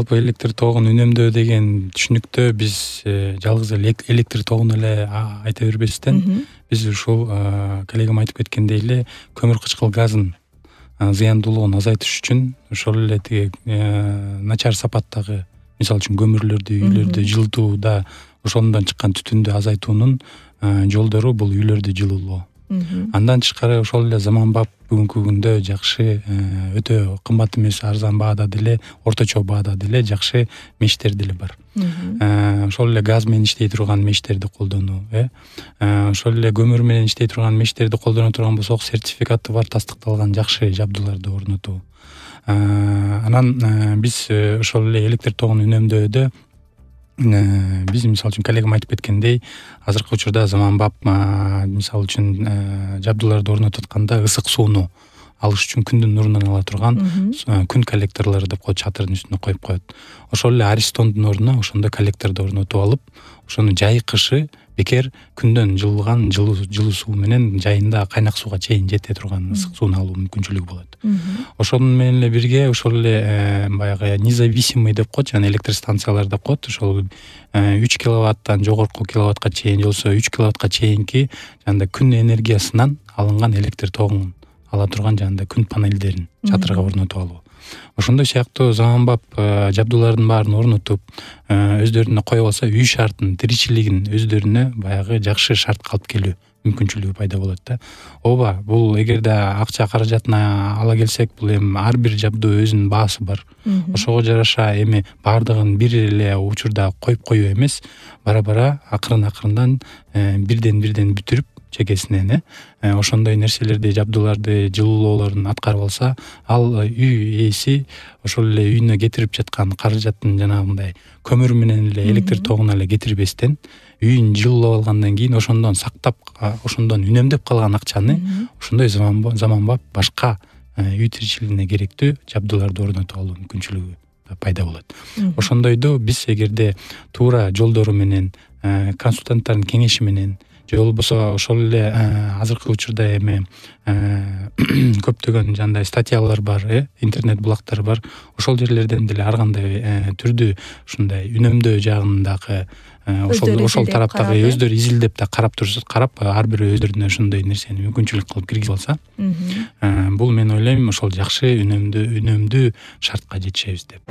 Жалпы электр тогун үнөмдөө деген түшүнүктө биз жалгыз электр тогун эле айта бербестен, биз ушул коллегам айтып кеткендей эле көмүр кычкыл газын зыяндуулугун азайтыш үчүн ошол эле тиги начар сапаттагы, мисалы үчүн көмүрлөрдү, үйлөрдү жылытууда ошондон чыккан түтүндү азайтуунун жолдору бул үйлөрдү жылуулоо. Андан тышкары ошол эле заманбап бүгүнкү күндө жакшы, өтө кымбат эмес, арзан баада деле, орточо баада деле жакшы мештер деле бар. Ошол эле газ менен иштей турган мештерди колдонуу, ошол эле көмүр менен иштей турган мештерди колдоно турган болсок, сертификаты бар, тастыкталган жакшы жабдууларды орнотуу. Анан биз ошол эле электр тогун үнөмдөөдө биз мисалы үчүн коллегам айтып кеткендей, азыркы учурда заманбап мисалы үчүн жабдууларды орнотуп атканда ысык сууну алыш үчүн күндүн нурунан ала турган күн коллекторлору деп коет, чатырдын үстүнө коюп коет. Ошол эле аристондун ордуна ошондой коллекторду орнотуп алып, ошону жай кышы бекер күндөн жылган жылуу суу менен жайында кайнак сууга чейин жете турган ысык сууну алуу мүмкүнчүлүгү болот. Ошону менен эле бирге ошол эле баягы независимый деп коет, жана электр станциялар деп коет. Ошол 3 киловаттан жогорку киловаттка чейин болсо 3 киловаттка чейинки жана күн энергиясынан алынган электр тогун ала турган жана күн панелдерин чатырга орнотуп алуу. Ошондой сыяктуу заманбап жабдуулардын баарын орнотуп, өздөрүнө коюп алса, үй шартын, тиричилигин өздөрүнө баягы жакшы шартка алып келүү мүмкүнчүлүгү пайда болот да. Ооба, бул эгерде акча каражатына ала келсек, бул эми ар бир жабдуу өзүнүн баасы бар. Ошого жараша эми баардыгын бир эле учурда коюп коюу эмес, бара акырындан бирден бүтүрүп чекесинен ошондой нерселерди, жабдууларды, жылуулоолорун аткарып алса, ал үй ээси ошол эле үйүнө кетирип жаткан каражаттын жанагындай көмүр менен эле электр тогуна эле кетирбестен, үйүн жылуулап алгандан кийин ошондон сактап, ошондон үнөмдөп калган акчаны ошондой заманбап башка үй тиричилигине керектүү жабдууларды орнотуп алуу мүмкүнчүлүгү пайда болот. Ошондойду биз эгерде туура жолдору менен, консультанттардын кеңеши менен, же болбосо ошол эле азыркы учурда эми көптөгөн жандай статьялар бар, интернет булактар бар. Ошол жерлерден деле ар кандай түрдүү ушундай үнөмдөө жагындагы ошол тараптагы өздөрү изилдеп да карап ар бирөө өздөрүнө ошондой нерсени мүмкүнчүлүк кылып киргизип алса, бул мен ойлойм ошол жакшы үнөмдүү шартка жетишебиз деп.